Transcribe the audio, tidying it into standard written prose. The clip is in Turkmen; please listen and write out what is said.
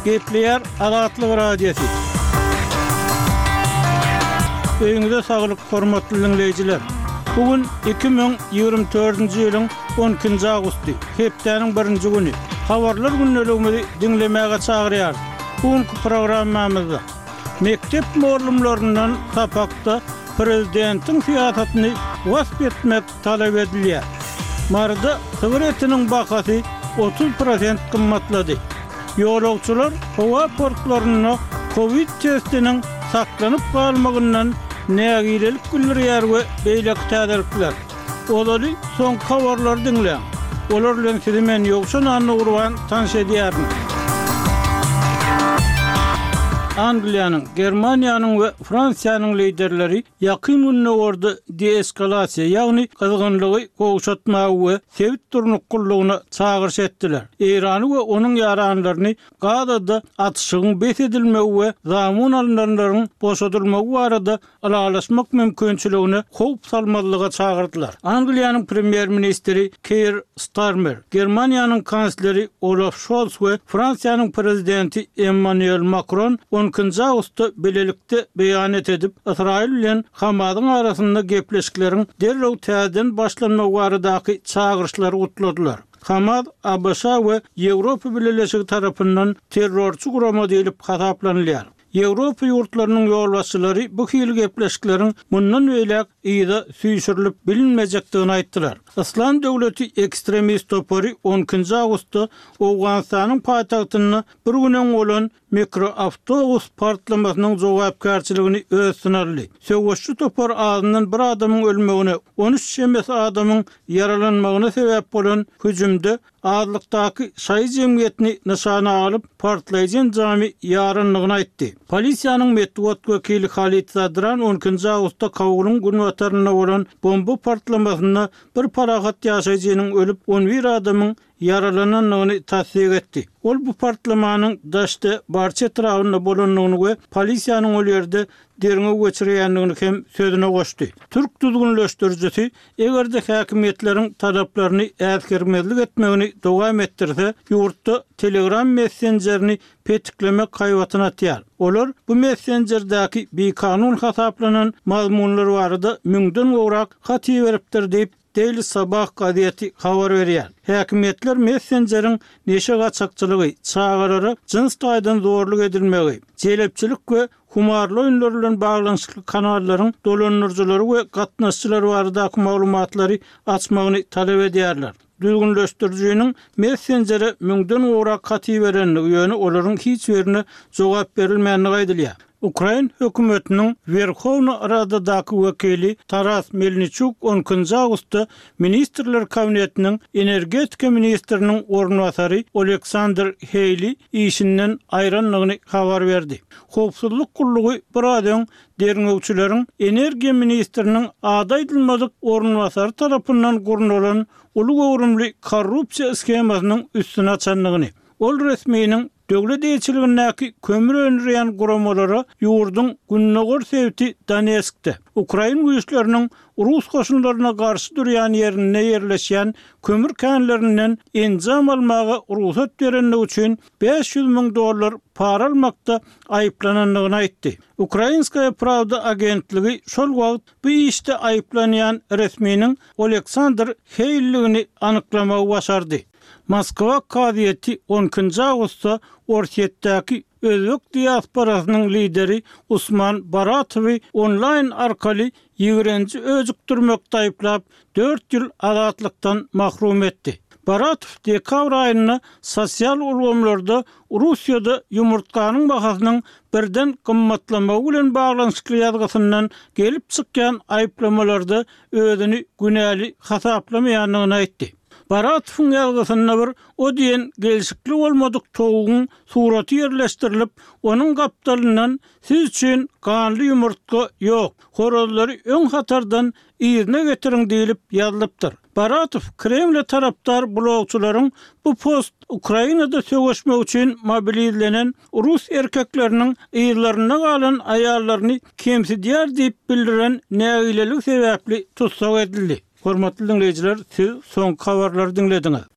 Gepleýär Azatlyk Radiosy. Öýüňize saglyk, hormatly diňleýjiler! Bu gün 2024-nji ýylyň 12-nji awgusty, hepdäniň birinji güni. Habarlar gündeligimizi diňlemäge çagyrýarys. Bu günki programmamyzda mekdep mugallymlaryndan sapakda prezidentiň syýasatyny wasp etmek talap edilýär. Maryda sygyr etiniň bahasy 30 prosent gymmatlady. Ýolagçylar howa portlarynda kowid testiniň saklanyp galmagyndan nägilelik bildirýär we beýleki täzelikler. Ozaly soňky habarlary diňläň. Olar bilen sizi men Ýowşan Annagurban tanyş edýärin. Angliýanyň, Germaniýanyň we Fransiýanyň liderleri Ýakyn Gündogarda deeskalasiýa, ýagny gyzgynlygy gowşatmaga we sebit durnuklylygyna çagyryş etdiler. Eýrany we onuň ýaranlaryny Gazada atyşygyň bes edilmegi we zamun alynanlaryň boşadylmagy barada ylalaşmak mümkinçiligine howp salmazlyga çagyrdylar. Angliýanyň premýer-ministri Keir Starmer, Germaniýanyň kansleri Olaf Şols we Fransiýanyň prezidenti Emmanuel Makron on ikinji awgustda bilelikde beýanat edip, Ysraýyl bilen Hamasyň arasynda gepleşikleriň derrew täzeden başlanmagy baradaky çagyryşlary gutladylar. Hamas ABŞ we Ýewropa Bileleşigi tarapyndan terrorçy gurama diýlip hasaplanylýar. Ýewropa ýurtlarynyň ýolbaşçylary bu hili gepleşikleriň mundan beýläk yza süýşürilip bilinmejekdigini aýtdylar. Yslam döwleti ekstremist topary on ikinji awgustda Owganystanyň paýtagtynda bir gün öň bolan mikroawtobus partlamasynyň jogapkärçiligini öz üstüne aldy. Söweşçi topar azyndan bir adamyň ölmegine, 13 çemesi adamyň ýaralanmagyna sebäp bolan hüjümde azlykdaky şaýy jemgyýetini nyşana alyp, partlaýjy enjamy ýarandygyny aýtdy. Polisiýanyň metbugat wekili Halid Zadran on ikinji awgustda Kabulyň günbatarynda bolan bomba partlamasynda bir parahat ýaşaýjynyň ölüp, on bir adamyň ýaralanandygyny tassyk etdi. Ol bu partlamanyň Daşte Barçy etrabynda bolandygyny we polisiýanyň ol ýerde derňew geçirýändigini hem sözüne goşdy. Türk düzgünleşdirijisi eger-de häkimiýetleriň talaplaryny äsgermezlik etmegini dowam etdirse, ýurtda Telegram messenjerini petiklemek haýbatyny atýar. Olar bu messenjerdäki bikanun hasaplanan mazmunlar barada müňden gowrak hat iberipdir diýip, Daily Sabah gazeti habar berýär. Häkimiýetler messenjeriň neşe gaçakçylygy, çagalara jyns taýdan zorluk edilmegi, jelepçilik we humarly oýunlar bilen baglanyşykly kanallaryň dolandyryjylary we gatnaşyjylary baradaky maglumatlary açmagyny talap edýärler. Düzgünleşdirijiniň messenjere müňden gowrak hat iberendigi, ýöne olaryň hiç birine jogap berilmändigi aýdylýar. Ukrain hökümetiniň Werhowna Radadaky wekili Taras Melniçuk on ikinji awgustda Ministrler Kabinetiniň energetika ministriniň orunbasary Oleksandr Heýli işinden aýrandygyny habar berdi. Howpsuzlyk gullugy biraz öň derňewçileriň energiýa ministriniň ady aýdylmadyk orunbasary tarapyndan gurnalan uly göwrümli korrupsiýa shemasynyň üstüni açandygyny, ol resminiň Döwlet eýeçiligindäki kömür öndürýän guramalara ýurduň gündogar sebiti Donetskde, ukrain güýçleriniň rus goşunlaryna garşy durýan ýerinde ýerleşýän kömür känlerinden enjam almaga rugsat berendigi üçin 500 müň dollar para almakda aýyplanandygyny aýtdy. Ukrainskaýa prawda agentligi şol wagt bu işde aýyplanýan resminiň Oleksandr Heýlligini anyklamagy başardy. Moskwa kazyýeti on ikinji awgustda Orsýetdäki özbek diasporasynyň lideri Usman Baratowy onlaýn arkaly ýigrenji öjükdirmekde aýyplap, dört ýyl azatlykdan mahrum etdi. Baratow dekabr aýynda sosial ulgamlarda Russiýada ýumurtganyň bahasynyň birden gymmatlamagy bilen baglanyşykly ýazgysyndan gelip çykýan aýyplamalarda özüni günäli hasaplamaýandygyny aýtdy. Baratowyň ýazgysynda bir o diýen gelşikli bolmadyk towugyň suraty ýerleşdirilip, onuň gapdalyndan Siz üçin ganly ýumurtga ýok, horazlary öň hatardan yzyna getiriň diýlip ýazylypdyr. Baratow Kremle tarapdar blogçylaryň bu post Ukrainada söweşmek üçin mobilizlenen rus erkekleriniň yzlarynda galan aýallaryny kemsidýär diýip bildiren nägileligi sebäpli tussag edildi. Hormatly diňleýjiler, siz soňky habarlary diňlediňiz.